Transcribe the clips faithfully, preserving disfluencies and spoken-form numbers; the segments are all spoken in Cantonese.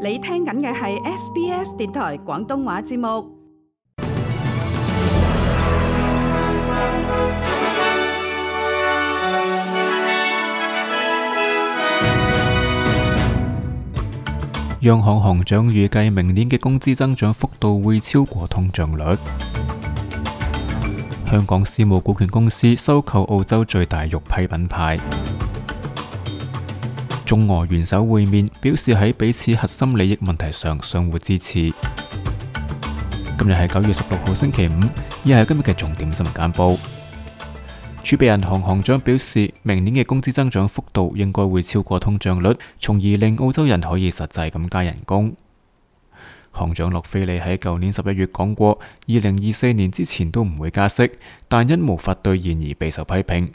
你聽緊嘅係 S B S 電台廣東話節目。央行行長預計明年嘅工資增長幅度會超過通脹率。香港私募股權公司收購澳洲最大肉批品牌。中俄元首會面，表示喺彼此核心利益問題上相互支持。今日係九月十六號星期五，以下係今日嘅重點新聞簡報。儲備銀行行長表示，明年嘅工資增長幅度應該會超過通脹率，從而令澳洲人可以實際咁加人工。行長洛菲利喺舊年十一月講過，二零二四年之前都唔會加息，但因無法兌現而備受批評。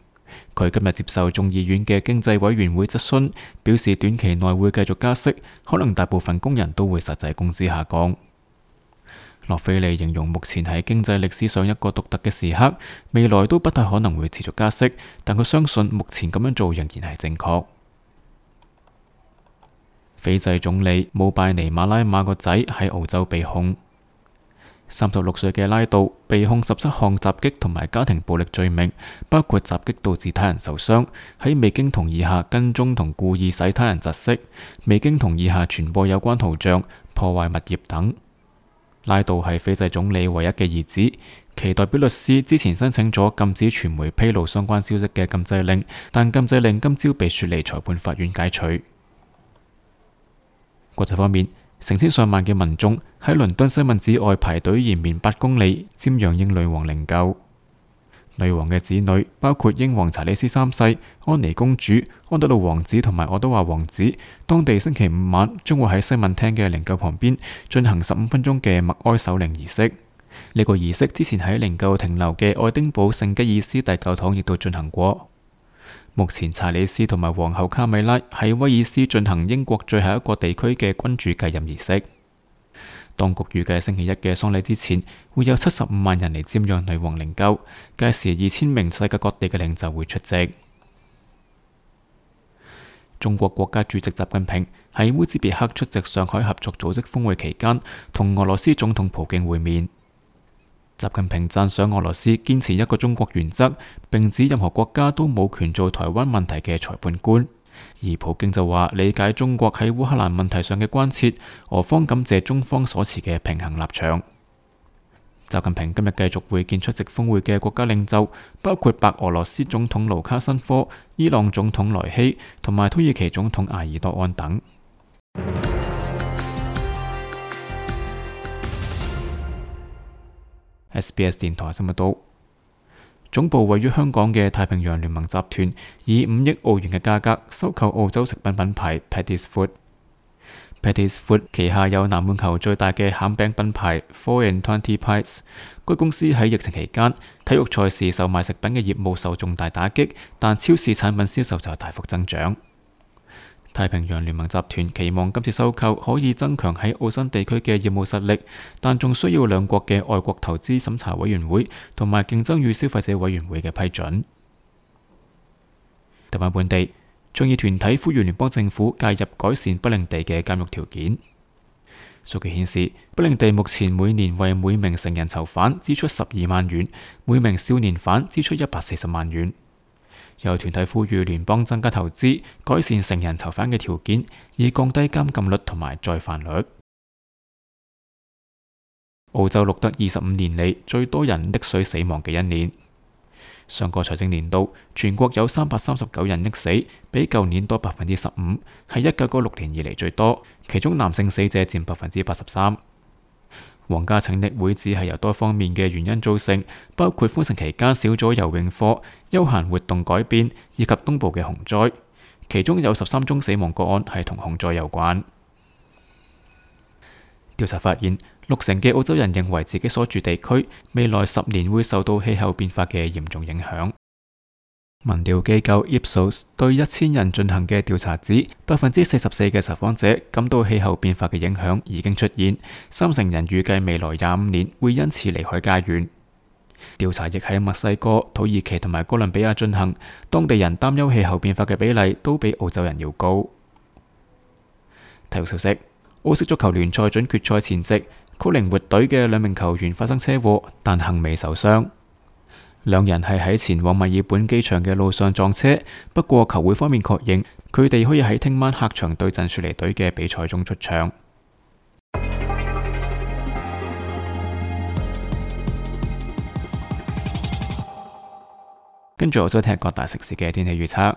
佢今日接受眾議院嘅經濟委員會質詢，表示短期內會繼續加息，可能大部分工人都會實際工資下降。洛菲利形容目前喺經濟歷史上一個獨特嘅時刻，未來都不太可能會持續加息，但佢相信目前咁樣做仍然係正確。斐濟總理姆拜尼馬拉馬個仔喺澳洲被控。三十六歲嘅拉杜被控十七項襲擊同埋家庭暴力罪名，包括襲擊導致他人受傷，喺未經同意下跟蹤同故意使他人窒息，未經同意下傳播有關圖像、破壞物業等。拉杜係斐濟總理唯一嘅兒子，其代表律師之前申請咗禁止傳媒披露相關消息嘅禁制令，但禁制令今朝被雪梨裁判法院解除。國際方面，成千上萬嘅民眾喺倫敦西敏寺外排隊延綿八公里，瞻仰英女王靈柩。女王嘅子女包括英皇查理斯三世、安妮公主、安德魯王子同埋愛德華王子，當地星期五晚將會喺西敏廳嘅靈柩旁邊進行十五分鐘嘅默哀守靈儀式。呢、這個儀式之前喺靈柩停留嘅愛丁堡聖吉爾斯大教堂亦都進行過。目前查理斯同埋皇后卡米拉喺威爾斯進行英國最後一個地區嘅君主繼任儀式。當局預計星期一嘅喪禮之前會有七十五萬人嚟瞻仰女王靈柩，屆時二千名世界各地嘅領袖會出席。中國國家主席習近平喺烏茲別克出席上海合作組織峰會期間，同俄羅斯總統普京會面。習近平讚賞俄羅斯堅持一個中國原則，並指任何國家都冇權做台灣問題嘅裁判官。而普京就話理解中國喺烏克蘭問題上嘅關切，俄方感謝中方所持嘅平衡立場。習近平今日繼續會見出席峰會嘅國家領袖，包括白俄羅斯總統盧卡申科、伊朗總統萊希同埋土耳其總統埃爾多安等。S B S 電台新聞道，總部位於香港嘅太平洋聯盟集團以五億澳元嘅價格收購澳洲食品品牌 Paddy's Food。Paddy's Food 旗下有南半球最大嘅餡餅品牌four and twenty Pies。該公司喺疫情期間，體育賽事售賣食品嘅業務受重大打擊，但超市產品銷售就大幅增長。太平洋聯盟集團期望今次收購可以增強喺澳新地區嘅業務實力，但仲需要兩國嘅外國投資審查委員會同埋競爭與消費者委員會嘅批准。台灣本地倡議團體呼籲聯邦政府介入改善不領地嘅監獄條件。數據顯示，不領地目前每年為每名成人囚犯支出十二萬元，每名少年犯支出一百四十萬元。有團體呼籲聯邦增加投資，改善成人囚犯嘅條件，以降低監禁率同埋再犯率。澳洲錄得二十五年嚟最多人溺水死亡嘅一年。上個財政年度，全國有三百三十九人溺死，比舊年多百分之十五，係一九九六年以嚟最多。其中男性死者佔百分之八十三。皇家拯溺會只係由多方面嘅原因造成，包括封城期間少咗游泳課、休閒活動改變以及東部嘅洪災。其中有十三宗死亡個案係同洪災有關。調查發現，六成嘅澳洲人認為自己所住地區未來十年會受到氣候變化嘅嚴重影響。民調機構 Ipsos 對一千人進行嘅調查指，百分之四十四嘅受訪者感到氣候變化嘅影響已經出現，三成人預計未來廿五年會因此離開家園。調查亦喺墨西哥、土耳其同埋哥倫比亞進行，當地人擔憂氣候變化嘅比例都比澳洲人要高。體育消息。澳式足球聯賽準決賽前夕，曲靈活隊嘅兩名球員發生車禍，但幸未受傷。兩人係喺前往墨爾本機場嘅路上撞車，不過球會方面確認佢哋可以喺聽晚客場對陣雪梨隊嘅比賽中出場。跟住我再睇各大城市嘅天氣預測。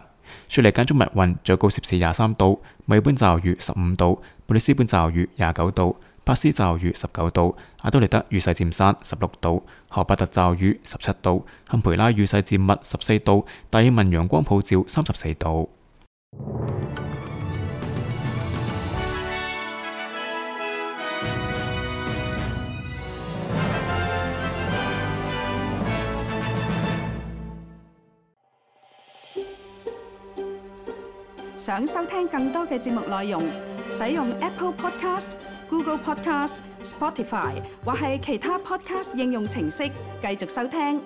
雪梨間中密雲，最高攝氏廿三度；墨爾本驟雨十五度；布里斯本驟雨廿九度；珀斯驟雨十九度；阿德萊德雨勢漸散十六度；荷伯特驟雨十七度；堪培拉雨勢漸密十四度；達爾文陽光普照三十四度。想收聽更多嘅節目內容，使用 Apple Podcast、Google Podcast、Spotify 或係其他 Podcast 應用程式繼續收聽。